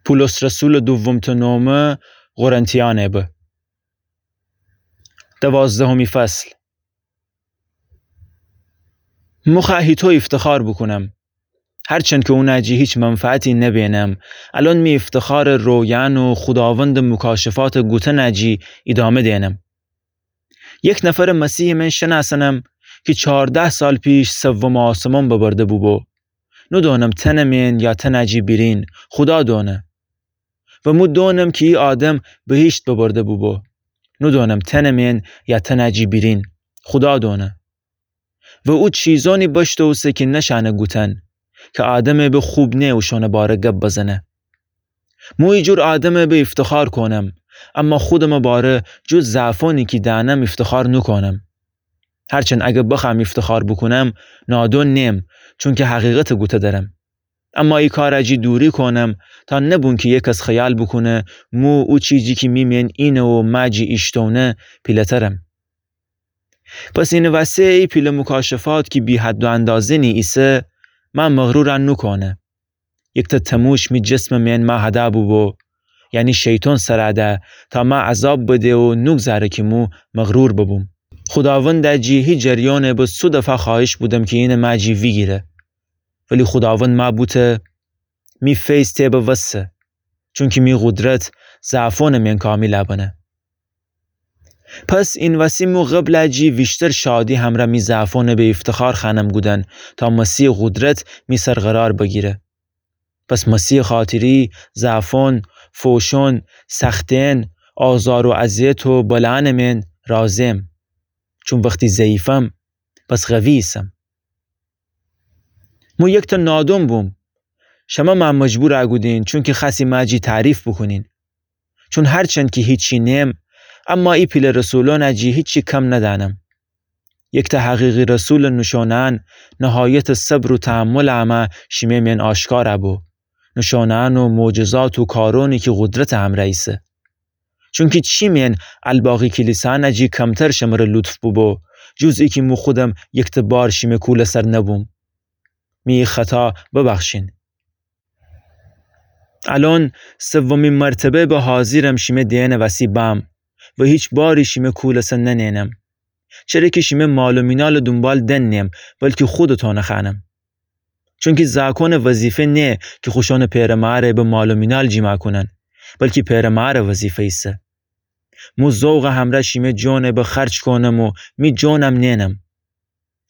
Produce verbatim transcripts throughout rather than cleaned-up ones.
پولس رسولٚ دومٚ نامه قرنتیأنٚ به. دوازدهمی فصل. مو خوأ هیتو ایفتخار بوکونم، هرچند کی اونٚ جی هیچ منفعتی نبینم، الأن می ایفتخارٚ رویأن و خوداوندٚ مکاشفاتٚ گوتنٚ جی ایدامه دئنم. یک نفرٚ مسیحٚ مین شنأسنم کی چارده سال پیش سومٚ آسمان ببرده بوبو. نودونم تنٚ مین یا تنٚ جی بیرین، خودا دونه. و مو دونم کی ای آدم بهیشت ببرده بوبو. نودونم تنٚ مین یا تنٚ جی بیرین، خودا دونه. و او چیزأنی بشته اوسه کی نشأنه گوتن، کی آدمٚ به خوب نه اوشأنٚ باره گب بزنه. مو ایجور آدمٚ به ایفتخار کونم، اما خودمٚ باره جز ضعفأنی کی دأنم ایفتخار نوکونم. هرچند اگر بخوأم ایفتخار بوکونم، نادون نیم، چونکی حقیقتٚ گوته درم. اما ای کارٚ جی دوری کونم، تا نبون کی یکس خیال بوکونه مو او چیزی کی می مین اینه و مأ جی ایشتونه پیله‌ترم. پس اینٚ وسه ای پیله مکاشفات کی بی‌حد و اندازه‌نی ایسه، مأ مغرور نوکونه. یکته تموش می جسمٚ مین مأ هده بوبو، یعنی شیطان سر ده، تا مأ عذاب بده و نوگذاره کی مو مغرور ببوم. خوداوندٚ جی هی جریانٚ به صد دفعه خوأهش بودم کی اینه مأ جی ویگیره. ولی خوداوند مأ بوته، می فیض تی به وسه، چونکی می قدرت ضعفأنٚ مین کامل بنه. پس اینٚ وسی مو قبلٚ جی ویشتر شادی همرأ می ضعفأنٚ به ایفتخار خوأنم گودن، تا مسیحٚ قدرت می سر قرار بگیره. پس مسیحٚ خاطری ضعفأن، فوشأن، سختین، آزار و اذیت و بلأنٚ مین راضیم. چون وختی ضعیفم، پس قوی ایسم. مو یکته نادون بوم. شمه مأ مجبور گودین، چونکی خوأستی مأ جی تعریف بوکونین. چون هرچند کی هیچی نیم، اما ای پیله رسولأنٚ جی هیچی کم ندأنم. یکته حقیقی رسولٚ نوشونه‌یأن نهایتٚ صبر و تحملٚ امه شیمه مین آشکار بو. نوشونه‌یأن و معجزات و کارأنی کی قدرتٚ همرأ ایسه. چونکی چی مین الباقی کلیسأنٚ جی کمتر شمره لطف بوبو، جز ایکی مو خودم یکته بار شیمه کولٚ سر نبوم. می خطا ببخشین. الأن سومی مرتبه به حاضیرم شیمه دئنٚ وسی بأم و هیچ باری شیمه کولٚ سر ننئنم. چره کی شیمه مال و مینالٚ دونبال دن نیم، بلکی خودتأنٚ خوأنم. چونکی زأکأنٚ وظیفه نه کی خوشأنٚ پئرٚ ماره به مال و مینال جیمع کونن، بلکی پئرٚ ماره وظیفه ایسه. مو ذوقٚ همرأ شیمه جانٚ به خرج کونم و می جانم نئنم.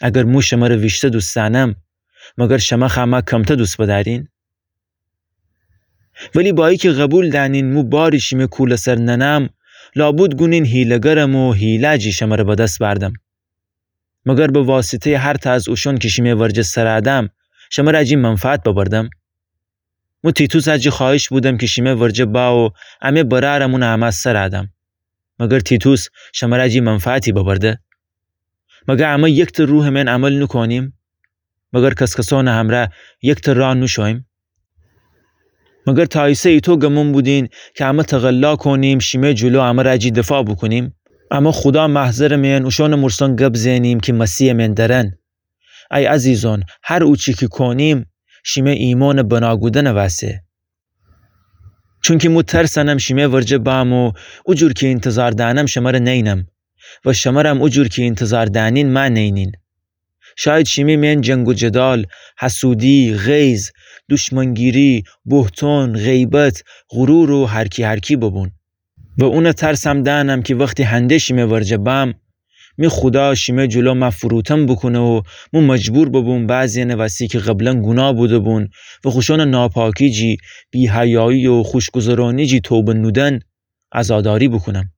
اگر مو شمره ویشته دوست دأنم، مگر شمه خوأ مأ کمته دوست بدأرین؟ ولی با ایکی قبول دأنین مو باری شیمه کولٚ سر ننم، لابد گونین حیله‌گرم و حیله جی شمره به دس بأردم. مگر به واسطه‌یٚ هرتأ از اوشأن کی شیمه ورجه سر دأم، شمره جی منفعت ببردم؟ مو تیتوسٚ جی خوأهش بودم کی شیمه ورجه بأ و امه برأرم اونٚ امه سر دأم. مگر تیتوس شمره جی منفعتی ببرده؟ مگر امه یکته روحٚ مین عمل نوکونیم؟ مگر کس‌کسأنٚ همرأ یکته راه نوشوییم؟ مگر تا ایسه ایتو گمون بودین کی امه تقلا کونیم شیمه جلو امره جی دفاع بوکونیم؟ امه خودا محضرٚ مین اوشأنٚ مرسان گب زئنیم کی مسیحٚ مین درن. ای عزیزأن، هر اوچی کی کونیم، شیمه ایمانٚ بنا گودنٚ وسه. چونکی مو ترسنم شیمه ورجه بأم و اوجور کی اینتظار دأنم شمره نینم و شمرم اوجور کی اینتظار دأنین مأ نینین. شاید شیمه مین جنگ و جدال، حسودی، غیظ، دشمنگیری، بهتان، غیبت، غرور و هرکی هرکی ببون. و اونٚ ترسم دأنم کی وختی هنده شیمه ورجه بأم، می خودا شیمه جلو مأ فروتن بوکونه و مو مجبور ببوم بعضی‌یأنٚ وسی کی قبلا گوناه بوده‌بون و خوشأنٚ ناپاکی جی، بی‌حیایی و خوشگذرأنی جی توبه نودن، عزاداری بوکونم.